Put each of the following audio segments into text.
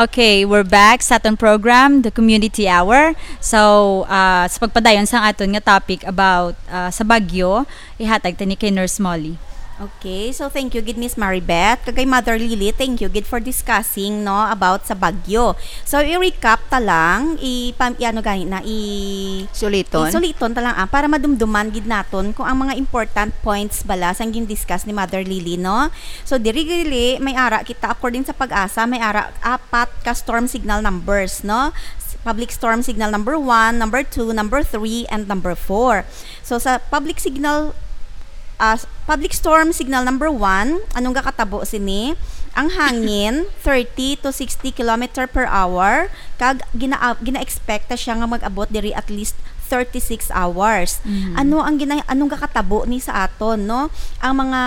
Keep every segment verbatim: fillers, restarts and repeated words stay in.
Okay, we're back sa aton program, The Community Hour. So, ah, sa pagpadayon sa aton nga topic about, ah, sa bagyo, ihatag tani kay Nurse Molly. Okay, so thank you gid, Miss Maribeth. Kag kay Mother Lily, thank you gid for discussing, no, about sa bagyo. So, i-recap ta lang, i-, pam-, i-, ano gani na, i-, Suliton. Suliton ta lang, ah, para madumduman gid naton kung ang mga important points bala sang gin-discuss ni Mother Lily, no? So, diri gili, may ara kita, according sa PAGASA, may ara apat ka storm signal numbers, no? S-, public storm signal number one, number two, number three, and number four. So, sa public signal, ah, s-, public storm signal number one, anong gakatabo sini? Ang hangin, thirty to sixty kilometer per hour, kag gina-, gina-expect ta siya nga mag-abot diri at least thirty-six hours. Mm. Ano ang gina-, anong gakatabo ni sa aton, no? Ang mga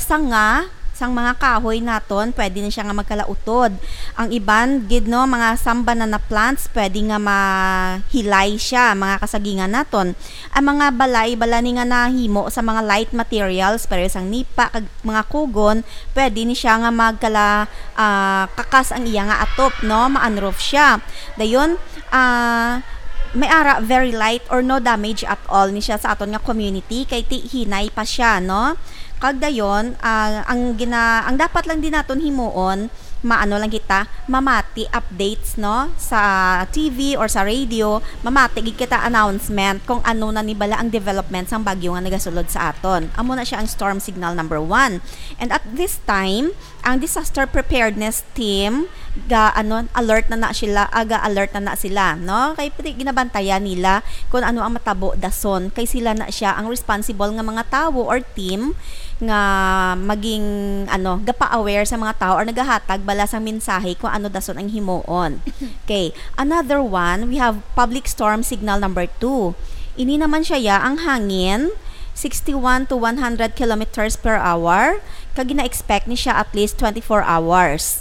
sanga sang mga kahoy naton, pwede na siya nga magkalautod. Ang iban gid, no, mga some banana plants, pwede nga mahilay siya, mga kasagingan naton. Ang mga balay bala ni nga nahimo sa mga light materials, pareho sang nipa kag mga kugon, pwede ni siya nga magkala, ah, kakas ang iya nga atop, no? Ma-unroof siya. Dayon, ah, may ara very light or no damage at all ni siya sa aton nga community, kay ti-, hinay pa siya, no? Kag dayon, ah, ang gina-, ang dapat lang din naton himuon, maano lang kita, mamati updates, no, sa T V or sa radio, mamati gid kita announcement kung ano na ni bala ang development sang bagyo nga nagasulod sa aton. Amo na siya ang storm signal number one. And at this time, ang disaster preparedness team ga, ano, alert na na sila, aga alert na na sila, no? Kay pati ginabantayan nila kung ano ang matabo dason, kay sila na siya ang responsible nga mga tawo or team nga maging, ano, gapa-aware sa mga tao or nagahatag bala sang mensahe kung ano dason ang himuon. Okay, another one, we have public storm signal number two. Ini naman siya, ya, ang hangin, sixty-one to one hundred kilometers per hour, kag gina-expect ni siya at least twenty-four hours.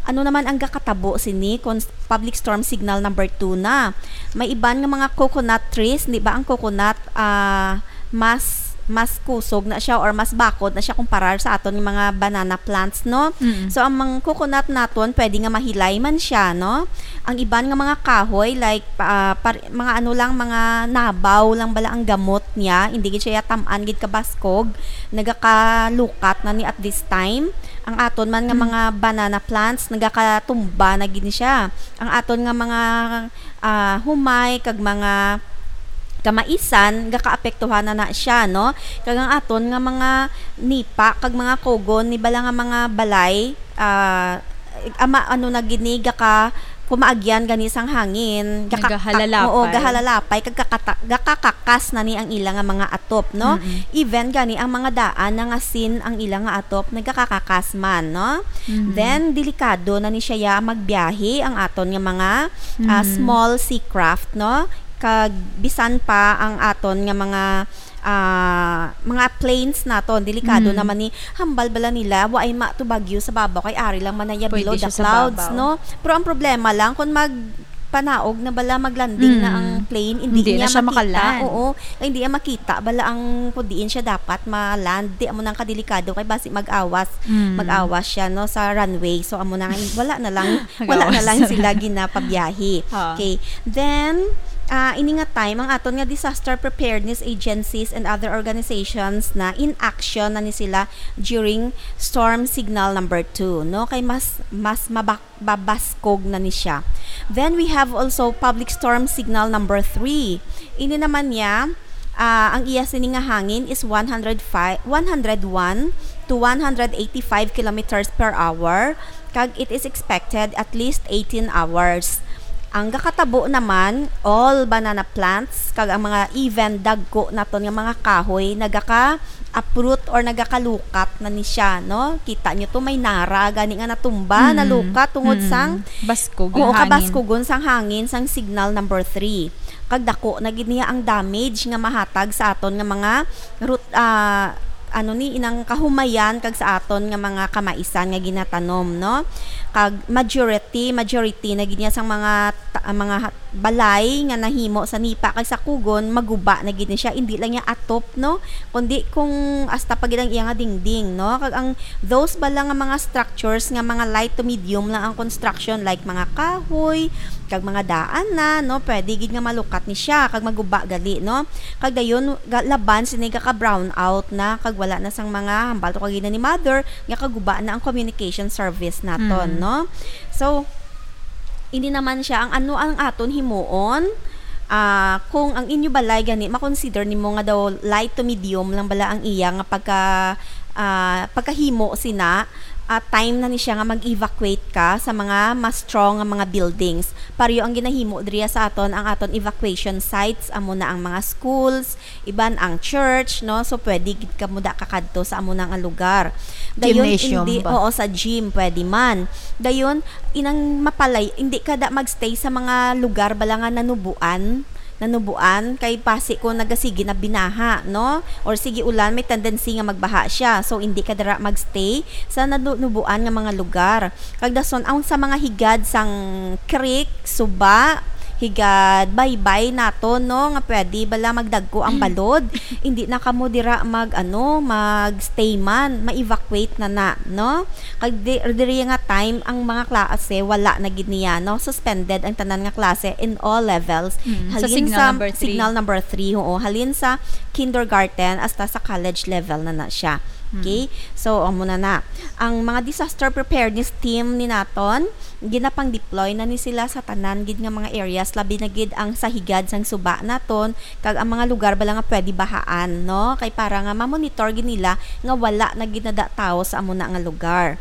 Ano naman ang gakatabo sini kung s-, public storm signal number two na? May iban nga mga coconut trees, di ba ang coconut, ah, mas, mas kusog na siya or mas bakod na siya kumparar sa aton nga mga banana plants, no? Mm. So, ang mga coconut naton, pwede nga mahilay man siya, no? Ang iban nga mga kahoy, like, pa-, par-, mga ano lang, mga nabaw lang bala ang gamot niya, hindi gid siya tam-an gid kabaskog, nagakalukat na ni at this time. Ang aton man nga Mm. mga banana plants, nagakatumba na gid ni siya. Ang aton nga mga, ah, humay, kag mga kamaisan, gakaapektuhan na na siya, no? Kag ang aton nga mga nipa, kag mga kogon, ni bala nga mga balay, ah, ama, ano na gid ni, gaka-, kumaagyan gani sang hangin, gaka-, Nagahalalapay. Oo, gahalalapay, kag kakata-, gakakakas na ni ang ila nga mga atop, no? Mm-mm. Even gani ang mga daan, nangasin ang ila nga atop, nagakakakas man, no? Mm-hmm. Then, delikado na ni siya ya magbiyahe ang aton nga mga, ah, Mm-hmm. small sea craft, no? Kag bisan pa ang aton nga mga, ah, mga planes naton, delikado Mm. naman ni, hambal bala nila, wa ay ma to bagyo sa babaw, kay ari lang man na ya Pwede below the siya sa clouds, babaw. No? Pero ang problema lang, kung magpanaog na bala, maglanding na Mm. ang plane, hindi Hindi niya na siya makita. Makaland. Oo, hindi niya makita bala ang kung diin siya dapat ma-land. Di amo nang kadelikado, kay basi mag-awas, Mm. mag-awas siya, no, sa runway. So, amo na nga, wala na lang, wala na Mag-awas. lang sila ginapabiyahe. Ah. Okay. Then, ah, ini nga time, ang aton nga disaster preparedness agencies and other organizations na in action na ni sila during storm signal number two, no? Kay mas, mas mabak-, babaskog na ni siya. Then we have also public storm signal number three. Ini naman niya, ah, ang iya sini nga hangin is one hundred five, one hundred one to one hundred eighty-five kilometers per hour, kag it is expected at least eighteen hours. Ang gakatabo naman, all banana plants kag ang mga even dagko naton nga mga kahoy nagaka-uproot or nagakalukat na ni siya, no? Kita nyo to, may nara gani nga natumba, Mm. nalukat tungod Mm. sang Baskog Oo, ang hangin. Kabaskugon sang hangin sang signal number three. Kag dako na gid niya ang damage nga mahatag sa aton nga mga root, ah, ano ni, inang kahumayan kag sa aton nga mga kamaisan nga ginatanom, no? Kag majority, majority na gid niya sang mga ta-, mga ha-, balay nga nahimo sa nipa kag sa kugon, maguba na gid ni siya, indi lang niya atop, no? Kundi kung hasta pa gid ang iya nga dingding, no? Kag ang those bala nga mga structures nga mga light to medium lang ang construction, like mga kahoy, kag mga daan na, no? Pwede gid nga malukat ni siya kag maguba gali, no? Kag dayon ga-, laban sini gaka-brown out na kag wala na sang mga hambal to kagina ni mother nga kaguba na ang communication service naton, Mm. no? So, hindi naman siya ang ano ang aton himuon, ah, kung ang inyo balay gani makonsider nimo nga daw light to medium lang bala ang iya nga pagka, ah, pagkahimo sina, ah, time na ni siya nga mag-evacuate ka sa mga mas strong nga mga buildings. Pareho ang ginahimo diriya sa aton, ang aton evacuation sites, amo na ang mga schools, iban ang church, no? So, pwede gid kamo da kakadto sa amo na nga lugar. Dayon, Gymnasium hindi, ba? Oo, sa gym, pwede man. Dayon, inang mapalay, hindi ka da magstay sa mga lugar bala nga nanubuan, nanubuan, kay basi kung nagasigi na binaha, no? Or sige ulan, may tendency nga magbaha siya. So, hindi ka dira magstay sa nanubuan nga mga lugar. Kag dason, ang sa mga higad sang creek, suba, higad baybay nato, no, nga pwede bala magdagko ang balod. Hindi na kamo dira mag, ano, mag-stay man, ma-evacuate na na, no? Kag di, diri nga time, ang mga klase, wala na gid niya, no? Suspended ang tanan nga klase in all levels. Mm, sa Halin signal sa number three. Signal number three, oo. Halin sa kindergarten hasta sa college level na na siya. Mm. Okay? So, amo na na. Ang mga disaster preparedness team ni naton, ginapang-deploy na ni sila sa tanan gid nga mga areas, labi na gid ang sa higad sang suba naton, kag ang mga lugar bala nga pwede bahaan, no? Kay para nga ma-monitor gid nila nga wala na gid nada tawo sa amo na nga lugar.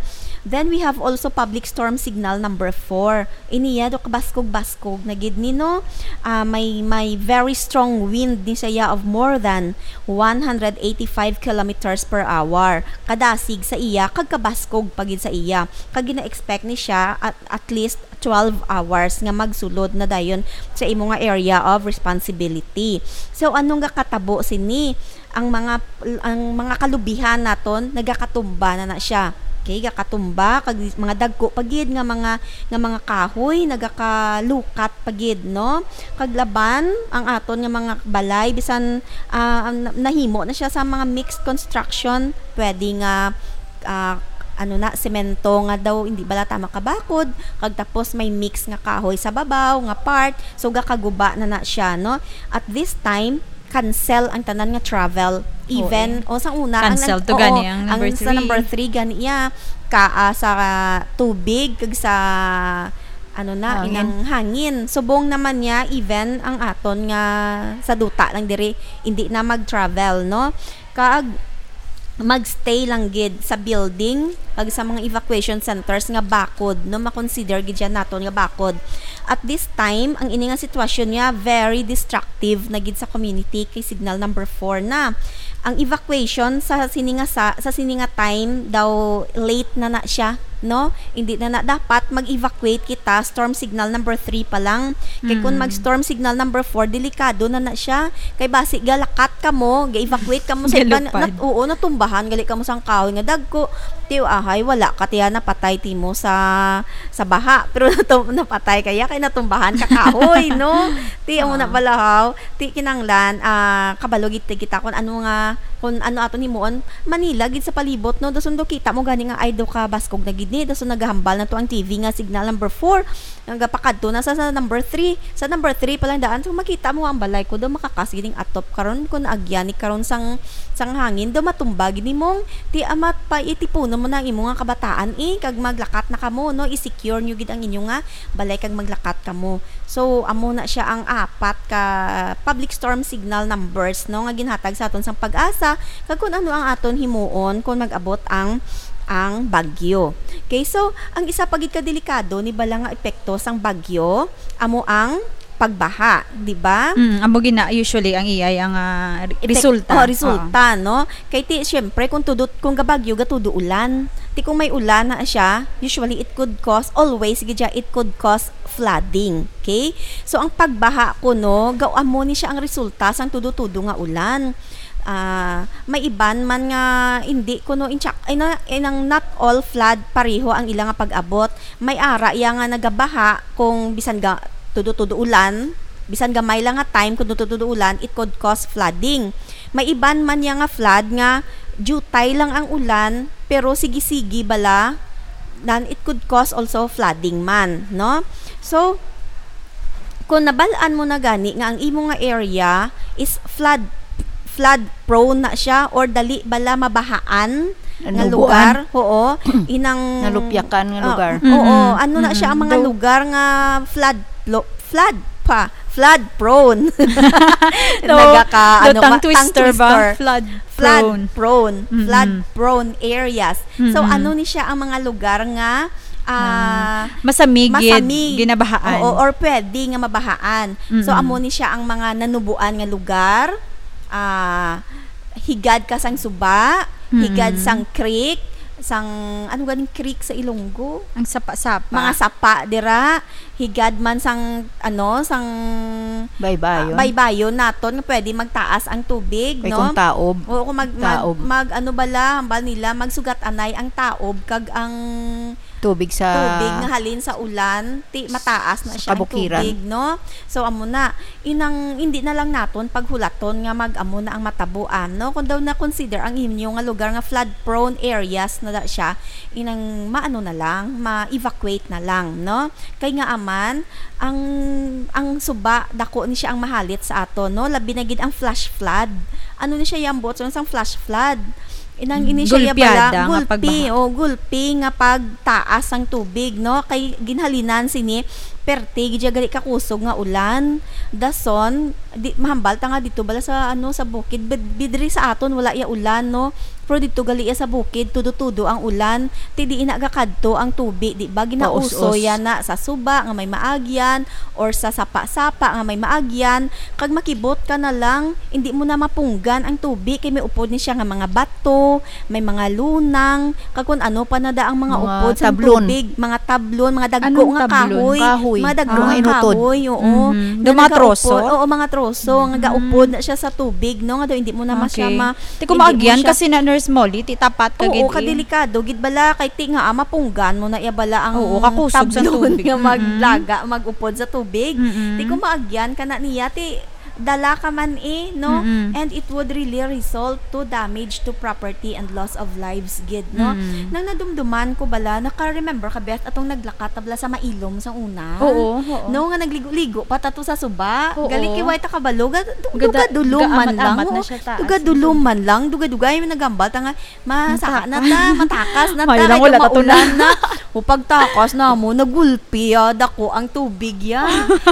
Then we have also public storm signal number four. Iniya do kabaskog-baskog na gid ni, no? Ah, may, may very strong wind ni siya of more than one hundred eighty-five kilometers per hour. Kadasig sa iya, kag kabaskog pa gid sa iya. Kag gina-expect ni siya at, at least twelve hours nga magsulod na dayon sa imo nga area of responsibility. So, anong gakatabo sini? Ang mga, ang mga kalubihan naton, nagakatumba na na siya. Okay, gakatumba, kag mga dagko pa gid nga mga, nga mga kahoy, nagakalukat pa gid, no? Kag laban, ang aton nga mga balay, bisan, ah, ang na-, nahimo na siya sa mga mixed construction, pwede nga, ah, ano na, semento nga daw, hindi bala ta makabakod, kag tapos may mix nga kahoy sa babaw, nga part, so gakaguba na na siya, no? At this time, cancel ang tanan nga travel. Oo, even, eh. O, sa una, ang Cancel nan-, to oo, gani ang number ang sa three. Number three gani iya, ka, ah, sa tubig, kag sa, ano na, Hangin. Inang hangin. Subong naman niya, even ang aton nga sa duta lang diri, hindi na mag-travel, no? Kag magstay lang gid sa building, kag sa mga evacuation centers nga bakod, no? Makonsider gid siya naton nga bakod. At this time, ang ini nga sitwasyon niya, very destructive na gid sa community kay signal number four na. Ang evacuation sa sini nga sa, sa sini nga time daw late na na siya, no? Hindi na na dapat mag-evacuate kita, storm signal number three pa lang. Kay kung Mm. mag-storm signal number four, delikado na na siya. Kay basi galakat kamo, ga-evacuate kamo sa iban, Galupad. nat-, oo, natumbahan gali kamo sang kahoy nga dagko. Tiyo, ahay, wala ka tiya napatay timo sa, sa baha. Pero natum-, napatay kaya kay natumbahan ka kahoy, no? Ti, amo na Ah. bala, haw. Ti kinanglan, ah, kabalo gid kita kung ano nga, kung ano aton himuon. Manila gid sa palibot, no? Dason do kita mo gani nga, ay, do ka baskog na gid ni. Dason nagahambal na to ang T V nga signal number four. Nga gapakadto na sa, sa number three. Sa number three pa lang daan, so makita mo ang balay ko do makakas gid ning atop karon, kung agyan ni karon sang, sang hangin, do matumba gid nimong ti amat pa itipunon mo na ang imo nga kabataan, eh, kag maglakat na kamo, no? I-secure nyo gid ang inyo nga balay kag maglakat kamo. So, amo na siya ang apat ka public storm signal numbers, no, nga ginhatag sa aton sang PAGASA, kag kung ano ang aton himuon kung mag-abot ang, ang bagyo. Okay, so, ang isa pa gid ka delikado ni bala nga epekto sang bagyo, amo ang pagbaha, di ba? Mm, amo gina usually ang iyay ang, ah, re-, Epek-, resulta. Oh, resulta, Oo. no? Kay ti, syempre, kung tudo, kung gabagyo, gatudo ulan. Ti kung may ulan na siya, usually it could cause, always gid siya, it could cause flooding. Okay? So, ang pagbaha kuno, ga-, amo ni siya ang resulta sang tudo-tudo nga ulan. Ah, may iban man nga hindi kuno in check, ay na, ay nang not all flood pareho ang ila nga pag-abot. May ara iya nga nagabaha kung bisan ga tudo-tudo ulan, bisan gamay lang nga time kung tudo-tudo ulan, it could cause flooding. May iban man iya nga flood nga diutay lang ang ulan, pero sige-sige bala, then it could cause also flooding man, no? So, kung nabal-an mo na gani nga ang imo nga area is flood, flood prone na siya or dali bala mabahaan nga Nanubuan. lugar, oo, inang Nalupyakan nga Ah, lugar. oo, Mm-mm. ano na siya ang mga Mm-mm. lugar nga flood lo-, flood pa, flood prone. No, Nagaka, the ano, tongue ma-, tongue twister ba? twister. Flood Flood prone. prone, Mm-mm. flood prone areas. So, Mm-mm. ano ni siya ang mga lugar nga, ah, Na masamig, gid, masamig. ginabahaan. Oo, or pwede nga mabahaan. So, Mm-mm. amo ni siya ang mga nanubuan nga lugar, ah, higad ka sang suba, higad Mm-mm. sang creek, sang, ano ganing creek sa Ilonggo? Ang sapa-sapa. Mga sapa dira, higad man sang, ano, sang, Baybayon. ah, baybayon naton nga pwede magtaas ang tubig, Kay no? kung taob, Oo, kung mag-, mag-, taob. mag-, ano bala, hambal nila, magsugat anay ang taob kag ang Tubig sa tubig nga halin sa ulan, ti mataas na sa siya ang kabukiran. tubig, no? So, amo na, inang hindi na lang naton paghulaton nga mag-amo na ang matabuan, no? Kung daw na-consider ang inyo nga lugar nga flood-prone areas na da siya, inang maano na lang, ma-evacuate na lang, no? Kay nga aman, ang, ang suba, dako ni siya ang mahalit sa aton, no? Labi na gid ang flash flood. Ano ni siya, Yambo? So, sang flash flood? Inang ini siya, Gulpiada bala, nga gulpi, pagbaha. o gulpi nga pagtaas sang tubig, no? Kay ginhalinan sini, perte, gid siya gali kakusog nga ulan. Dason, di, mahambal ta nga dito bala sa, ano, sa bukid, bid-, bidri sa aton, wala iya ulan, no? Pero dito gali iya sa bukid, tudo-tudo ang ulan. Ti di ina gakadto ang tubi, di ba? Ginauso Paus-os. iya na sa suba nga may maagyan or sa sapa-sapa nga may maagyan. Kag makibot ka na lang, hindi mo na mapunggan ang tubi kay may upod ni siya nga mga bato, may mga lunang, kag kun ano pa na da ang mga Mga upod sa tablon. tubig, mga tablon, mga dagko Anong nga tablon? kahoy, Kahoy. mga dagko Ah. nga Mga inutod. kahoy, oo. Mhm. Nga Yung mga nagaupod, troso? oo, mga troso, nga Mhm. gaupod na siya sa tubig, no? Nga daw hindi mo na ma-, siya Okay. ma-, Ti kung hindi mo maagyan siya kasi na, Nurse Molly, ti tapat ka Oo, gid, eh. kadelikado gid bala, kay ti nga, ah, mapunggan mo na iya bala ang Oo, kakusog sa tablon tubig. nga Mm-mm. maglaga, mag-upod sa tubig. Mm-mm. Ti kung maagyan ka na niya, ti dala ka man, eh, no? Mm-mm. And it would really result to damage to property and loss of lives gid, no? Mm. Nang nadumduman ko bala, naka-remember ka, Beth, atong naglakat ta bala sa Mailom sa una? Oo, oo. No, nga nagligo-ligo pa ta to sa suba. Oo. Gali kay way ta kabalo, ga-, du-, Gada-, dugadulom man lang, gaamat-amat na oo. siya taas. Dugadulom man lang, dugay-dugay, nagambal ta nga, masaka na ta, Mataka. matakas na ta, May lang kay wala ta maulan tunan. na. O pagtakas na mo, nagulpi, ah, dako ang tubig, ya.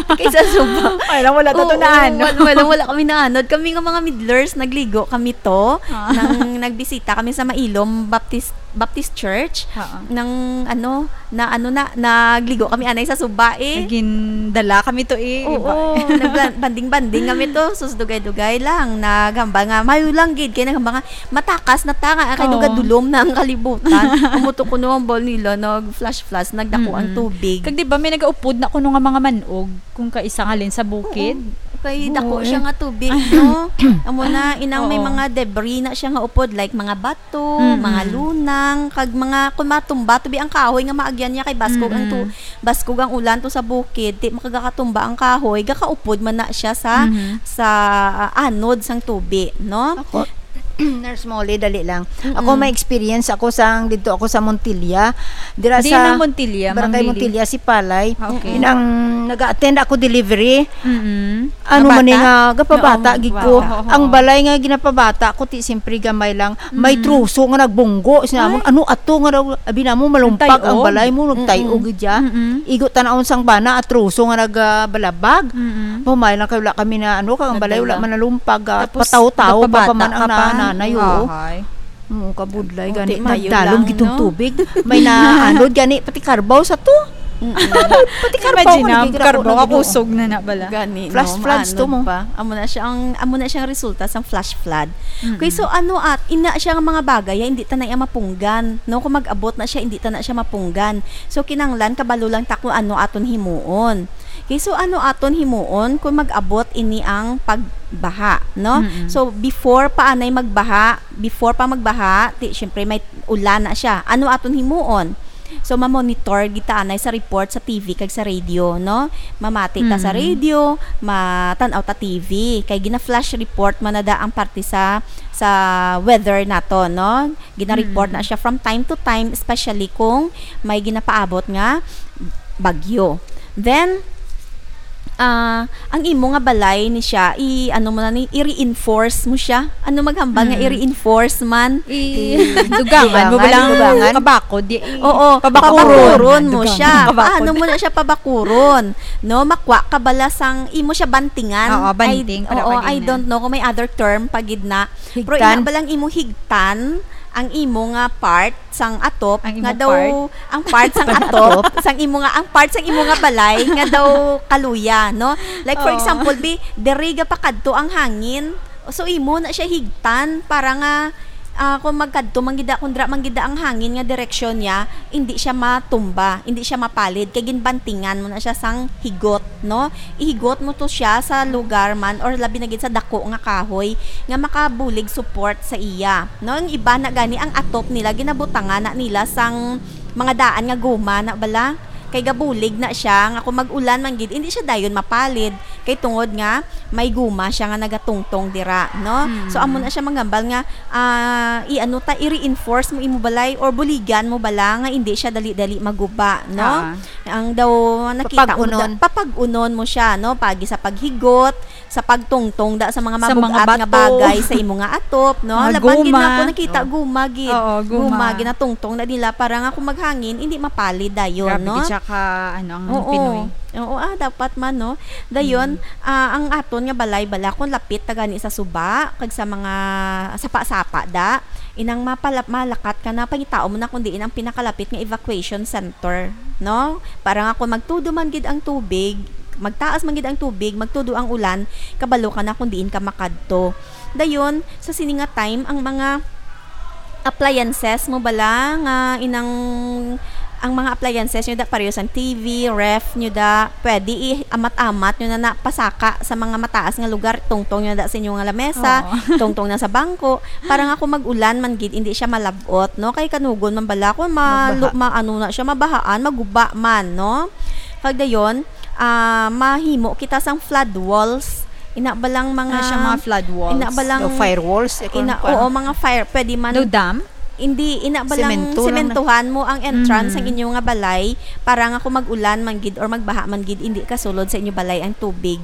Kaysa suba. May lang wala ta Oo, tunan, no? wal-, wala, wala kami naanod. Kami nga mga midlers, nagligo kami to. Ah. Nang nagbisita kami sa Mailom Baptist, Baptist Church. Oo. Nang, ano, na, ano na, nagligo kami anay sa suba, eh. Naging dala kami to, eh, Oo, iba. nagla-, banding-banding kami to. Sus, dugay-dugay lang. Naghambal nga, mayo lang gid. Kay naghambal nga, matakas na ta nga, kay Oo. dugadulom na ang kalibutan. Amo to kuno ang bal nila, nag-flash-flash, nagdako ang Mm-mm. tubig. Kag di ba, may nagaupod na kuno nga mga manog, kung kaisa nga halin sa bukid? Oo. Kay Oo, dako eh. siya nga tubig, no? Amo na, inang may Oo. mga debris na siya nga upod, like mga bato, Mm-mm. mga lunang, kag mga, kung matumba, tubi ang kahoy nga maagyan niya kay baskog ang tu-, Mm-mm. baskog ang ulan to sa bukid, ti makagakatumba ang kahoy, gakaupod man na siya sa, Mhm. sa, ah, anod sang tubi, no? Ako, Nurse Molly, dali lang. Mm-mm. Ako, may experience ako sang, didto ako sa Montilla. Dira Di sa nang Montilla, Barangay Ma'am Lily. Montilla, Sipalay. Ah, okay. Inang nag-attend ako delivery. Mm-mm. Ano Nga man ni bata? nga, gapabata Oo, gid ko. bata. Oo. Ang balay nga ginapabata ko, ti, siyempre, gamay lang. May Mm. troso nga nagbunggo. Sinamon, Ay. "Ano ato nga daw?" Abi namo, malumpag ang Nagtay-og. balay mo, nagtay-og Mm-mm. gid siya. Mm-mm. Igo tan-awon sang bana, atroso nga nagbalabag. Mm-mm. Humay lang kay wala kami na ano, kag ang balay wala Nagdala. man nalumpag, ah, Tapos, pataw-taw pa, gapabata pa man ang ka pa. nanay, oo. Ahay. Oo, kabudlay, Oh, gani, di mayo nagdalom lang, gitong no? tubig. May naanod, gani, pati karbaw sa to. Mm-mm. Pati karbaw, Imagine, kung ah, nagkikita ko karbaw, na gid, oo. kakusog na na bala. Gani, Flash no? floods to Maanod mo. pa. Amo na siya ang, amo na siyang resulta sang flash flood. Mm-mm. Okay, so ano at, ina siya nga mga bagay, ah, hindi ta na iya mapunggan, no? Kung mag-abot na siya, hindi ta na siya mapunggan. So, kinahanglan, kabalo lang ta kung ano aton himuon. Okay, so ano aton himuon kung mag-abot ini ang pagbaha, no? Mm-mm. So, before pa anay magbaha, before pa magbaha, ti, syempre may ulan na siya. Ano aton himuon? So, mamonitor gid ta anay sa report sa T V kag sa radio, no? Mamati ta sa Mm. radio, matan-aw ta T V. Kay gina-flash report man na da ang parte sa, sa weather nato, no? Gina-report Mm. na siya from time to time, especially kung may ginapaabot nga bagyo. Then, ah, ang imo nga balay ni siya, i-, ano mo na ni, i-reinforce mo siya. Ano maghambal nga Mm. i-reinforce man? I-, dugangan mo Dugangan, ba lang dugangan. Kabakod, di, i-, Oo, pabakuron. Pabakuron mo Dugangan, siya. kabakod. Paano mo na siya pabakuron? No, makwa ka bala sang imo siya bantingan. Oo, I, banting, para oo, pag I init. don't know kung may other term pa gid na. Pero Higtan. ina balang imo higtan ang imo nga part sang atop Ang nga imo daw part? ang part sang Ang atop atop? sang imo nga ang part sang imo nga balay nga daw kaluya, no? Like, for Oo. example, bi, diri ga pakadto ang hangin. So, imo na siya higtan para nga, ah, kung magkadto man gid, kung dira man gid ang hangin nga direksyon niya, hindi siya matumba, hindi siya mapalid, kay ginbantingan mo na siya sang higot, no? Ihigot mo to siya sa lugar man or labi na gid sa dako nga kahoy nga makabulig support sa iya, no? Ang iba na gani, ang atop nila ginabutangan na nila sang mga daan nga guma na bala, kay gabulig na siya nga kung mag-ulan man gid, hindi siya dayon mapalid kay tungod nga may guma siya nga nagatungtong dira, no? Mm. So, amo na siya manghambal nga, ah, i-ano ta, i-reinforce mo imo balay or buligan mo bala nga hindi siya dali-dali maguba, no? Ah. Ang daw nakita mo Papag-unon. da, papag-unon mo siya, no? Pagi sa paghigot, sa pagtungtong da sa mga Sa mga mabug-at nga bato. bagay sa imo nga atop, no? Mga Laban gid na guma. ako nakita, Oh. guma gid. Oo, guma. Guma, ginatungtong na nila para nga kung maghangin, hindi mapalid dayon, Grabe no? gid siya ka, ano, ang Oo. Pinoy. Oo, ah, dapat man, no? Dayon, Mm. ah, ang aton nga balay bala, kung lapit ta gani sa suba, kag sa mga sapa-sapa da, inang mapala-, malakat ka na, pangitao mo na kung diin ang pinakalapit nga evacuation center, no? Para nga kung magtudo man gid ang tubig, magtaas man gid ang tubig, magtudo ang ulan, kabalo ka na kung diin ka makadto. Dayon, sa sini nga time, ang mga appliances mo bala nga inang, ang mga appliances nyo da, pareho sang T V, ref nyo da, pwede i-amat-amat nyo na, na pasaka sa mga mataas nga lugar, tungtong nyo da sa inyo nga lamesa, Oo. tungtong na sa bangko, para nga kung mag-ulan man gid, hindi siya malab-ot, no? Kay kanugon man bala kung ma-, Magbaha. ma-, ano na siya, mabahaan, maguba man, no? Kag dayon, ah, mahimo kita sang flood walls. Ina ba lang mga Ano siya, mga flood walls? Ina ba lang O firewalls, eh, kung ina, kuwan. oo, mga fire, pwede man. No dam? Hindi, ina ba lang Semento lang na. sementohan mo ang entrance Mhm. sang inyo nga balay para nga kung mag-ulan man gid or magbaha man gid, hindi kasulod sa inyo balay ang tubig.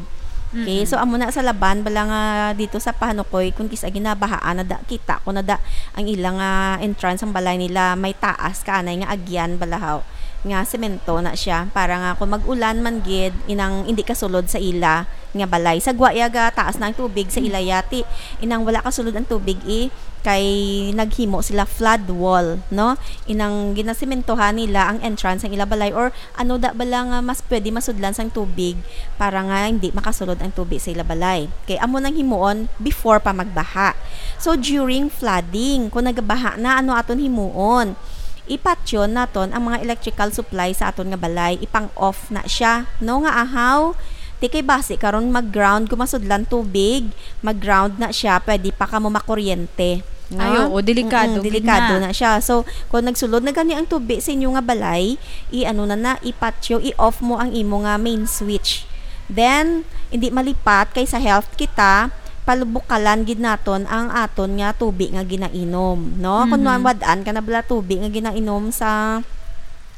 Okay, Mhm. so amo na sa Laban bala nga dito sa Pahanukoy, kung kis-a ginabahaan na da, kita ko na da ang ilang, ah, entrance ang balay nila, may taas ka anay nga agyan balahaw nga semento na siya para nga kung mag-ulan man gid, inang hindi kasulod sa ila nga balay. Sa Guayaga, taas na ang tubig sa ila yati. Inang wala kasulod ang tubig, eh, kay naghimo sila flood wall, no? Inang ginasimentohan nila ang entrance sang ila balay or ano da bala nga mas pwede masudlan sang tubig para nga hindi makasulod ang tubig sa ila balay. Kay amo nang himuon before pa magbaha. So, during flooding, kung nagabaha na, ano aton himuon? Ipatyon naton ang mga electrical supply sa aton nga balay, ipang-off na siya, no, nga ahaw. Ti kay basi karon mag-ground, kung masudlan tubig, mag-ground na siya, pwede pa kamo makuryente, no? Ay, oo, delikado Mm-mm, gid delikado na. na siya. So, kung nagsulod na gani ang tubi sa inyo nga balay, i-ano na na, ipatyo, i-off mo ang imo nga main switch. Then, hindi malipat kay sa health kita, palubukalan gid naton ang aton nga tubi nga ginainom, no? Kung Mhm. mawad-an ka na bala tubi nga ginainom sa,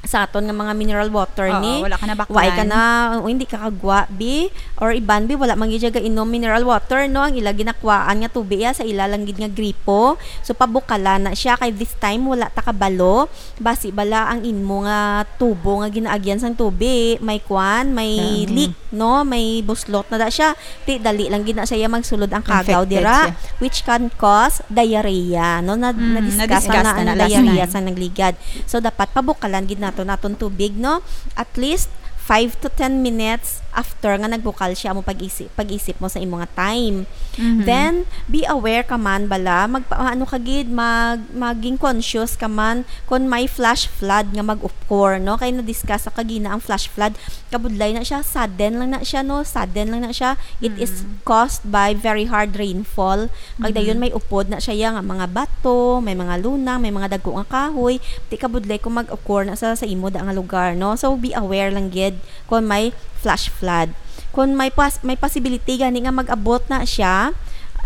sa aton nga mga mineral water Oo, ni, wala ka na baklan. Wa ka na, o, hindi ka kagwa, bi, or iban, bi, wala man gid siya gainom mineral water, no? Ang ila ginakwaan nga tubi, ya, sa ila lang gid nga gripo. So, pabukalan na siya, kay this time, wala ta kabalo. Basi bala ang imo nga tubo nga ginaagyan sang tubi, may kwan, may Mhm. leak, no? May buslot na da siya. Ti, dali lang gid na siya magsulod ang kagaw Infected dira, siya. which can cause diarrhea, no? Na, Mm, na-discuss na-discuss na na ang na last diarrhea time. sa nagligad. So, dapat pabukalan gid nato naton tubig, no? At least five to ten minutes after nga nagbukal siya, amo pag-isip, pag-isip mo sa imo nga time. Mhm. Then, be aware ka man bala, magpa-, ano ka gid, mag-, maging conscious ka man kung may flash flood nga mag-occur, no? Kay na-discuss sa kagina ang flash flood. Kabudlay na siya, sudden lang na siya, no? Sudden lang na siya. It is Mm. caused by very hard rainfall. Kag Mhm. dayon may upod na siya ya nga mga bato, may mga lunang, may mga dagko nga kahoy. Di kabudlay kung mag-occur na sa, sa imo da nga lugar, no? So, be aware lang gid kung may flash flood. Kung may pas-, may possibility gani nga mag-abot na siya,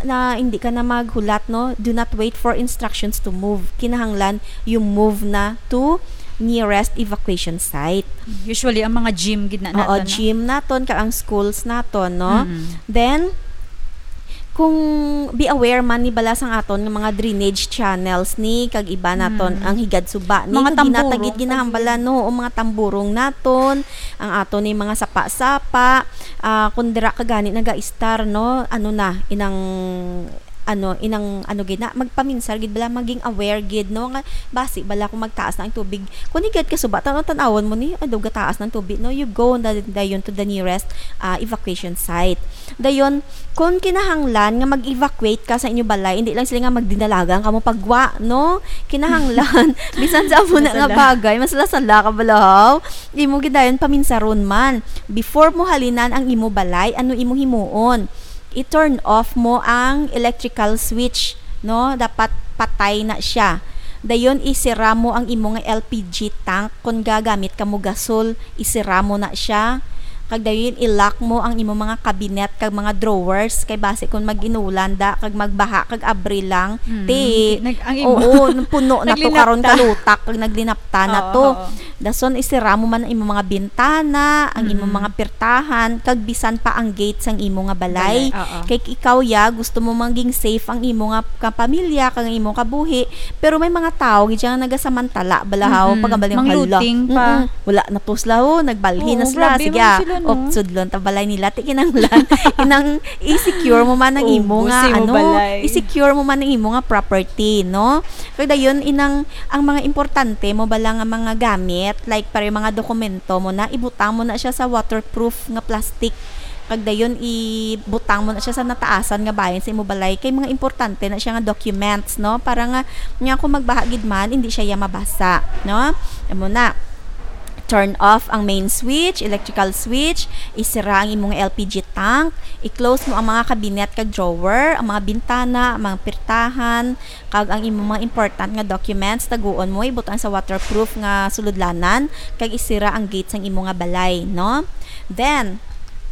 na hindi ka na maghulat, no? Do not wait for instructions to move. Kinahanglan you move na to nearest evacuation site. Usually, ang mga gym gid na Oo, naton, no? Gym naton, kag ang schools naton, no? Mm. Then, kung be aware man ni bala sang aton nga mga drainage channels ni, kag iba naton, Mm. ang higad suba ni, Mga kag ginatagit tamburong, ginahambalan, kag no? O mga tamburong naton, ang aton ni mga sapa-sapa, ah, kung dira ka gani nagaistar, no? Ano na, inang, ano, inang, ano gid na, magpaminsar gid bala, maging aware gid, no? Nga, basi bala kung magtaas na ang tubig. Kung higad ka suba, tan-, tan-awon mo ni, ay, daw gataas ng tubig, no? You go na dayon to the nearest, ah, evacuation site. Dayon, kung kinahanglan nga mag-evacuate ka sa inyo balay, hindi lang sila nga magdinalagan ka mo pagwa, no? Kinahanglan, bisan sa amo na nga Masala. bagay, masala-sala ka bala, haw? Imo gid dayon paminsaron man. Before mo halinan ang imo balay, ano imo himuon? I-turn off mo ang electrical switch, no? Dapat patay na siya. Dayon, isira mo ang imo nga L P G tank. Kung gagamit ka mo gasol, isira mo na siya. Kag dayon, i-lock mo ang imo mga cabinet kag mga drawers. Kay basi kung mag-inulan da, kag magbaha, kag abri lang, Mm. ti, Nag-, ang imo. oo, puno na to Naglinapta. karon kalutak, kag naglinapta na Oo, to. oo. Dason, isira mo man ang imo mga bintana, ang imo Mm. mga pirtahan, kag bisan pa ang gate sang imo nga balay. Balay, oo. Kay ikaw, ya, gusto mo maging safe ang imo nga kapamilya, kag ang imo kabuhi, pero may mga tawo gid siya nga nagasamantala, bala, haw, Mm-mm. pagkabalin, Mang hala. looting pa. Mm-mm. Wala na to sila, oh, nagbalhin na Oo, sila. grabe Sige, man ah, sila, no? op, sudlon ta balay nila. Ti kinahanglan, inang i-secure mo man ang Oo, imo nga, sa imo ano, balay. i-secure mo man ang imo nga property, no? Kag dayon, inang, ang mga importante mo bala nga mga gamit, like, para yung mga dokumento mo na, ibutang mo na siya sa waterproof nga plastic. Kag dayon, ibutang mo na siya sa nataasan nga bahin sa imo balay. Kay mga importante na siya nga documents, no? Para nga, nga kung magbaha gid man, hindi siya ya mabasa, no? Amo na. Turn off ang main switch, electrical switch, isira ang imong L P G tank, i-close mo ang mga kabinet kag drawer, ang mga bintana, ang mga pirtahan, kag ang imong mga important nga documents, taguon mo, ibutang sa waterproof nga sulodlanan, kag isira ang gate sang imo nga balay, no? Then,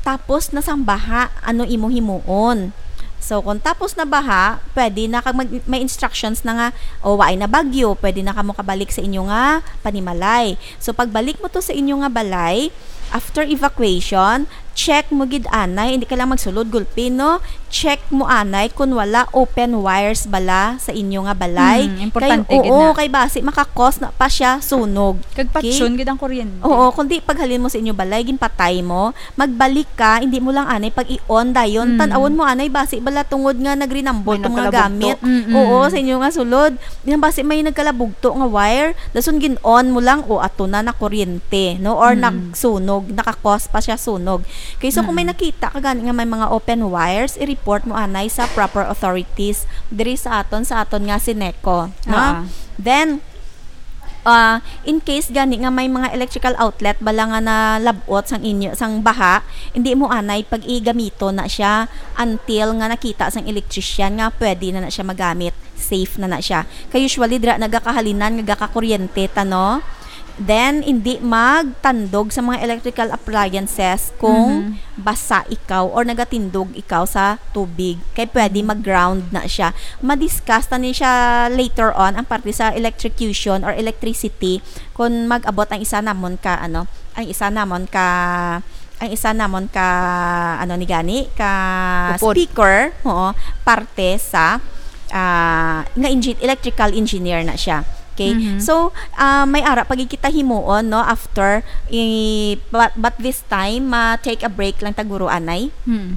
tapos na sang baha, ano imo himuon? So, kung tapos na baha, pwede na kag mag-, may instructions na nga, o, waay na bagyo, pwede na kamo kabalik sa inyo nga panimalay. So, pagbalik mo to sa inyo nga balay, after evacuation, check mo gid anay, hindi ka lang magsulod gulpi, no? Check mo anay kung wala open wires bala sa inyo nga balay. Hmm, importante Kay, gid oo, na. kay basi makakos na pa siya sunog. Kag Okay? patyon gid ang kuryente. Oo, kundi paghalin mo sa inyo balay, ginpatay mo, magbalik ka, hindi mo lang anay pag i-on dayon. Mm. Tan-awon mo anay, basi bala tungod nga nagrinambot May tong mga nagkalabugto. gamit. Mm-mm. Oo, sa inyo nga sulod. Yan basi may nagkalabugto nga wire, dason gin-on mo lang, o ato na, nakuryente, no? Or Mm. nagsunog, nakakos pa siya sunog. Kay so kung may Mm. nakita ka gani nga may mga open wires, i-report mo anay sa proper authorities diri sa aton, sa aton nga Sineco, no? Ah. Then, ah, in case gani nga may mga electrical outlet bala nga nalab-ot sang inyo, sang baha, hindi mo anay pag-igamito na siya until nga nakita sang electrician nga pwede na na siya magamit, safe na na siya. Kay usually dira nagakahalinan nga gakakuryente ta, no? Then, hindi magtandog sa mga electrical appliances kung Mhm. basa ikaw or nagatindog ikaw sa tubig. Kay pwede Mhm. mag-ground na siya. Ma-discuss ta ni siya later on, ang parte sa electrocution or electricity, kung mag-abot ang isa namon ka, ano, ang isa namon ka, ang isa namon ka, ano ni gani, ka Upod. speaker, oo, parte sa, ah, nga engi-, electrical engineer na siya. Okay? Mhm. So, ah, may ara pa gid kita himuon, no, after, i-, but, but this time, ma-take a break lang ta, guro, anay. Hmm.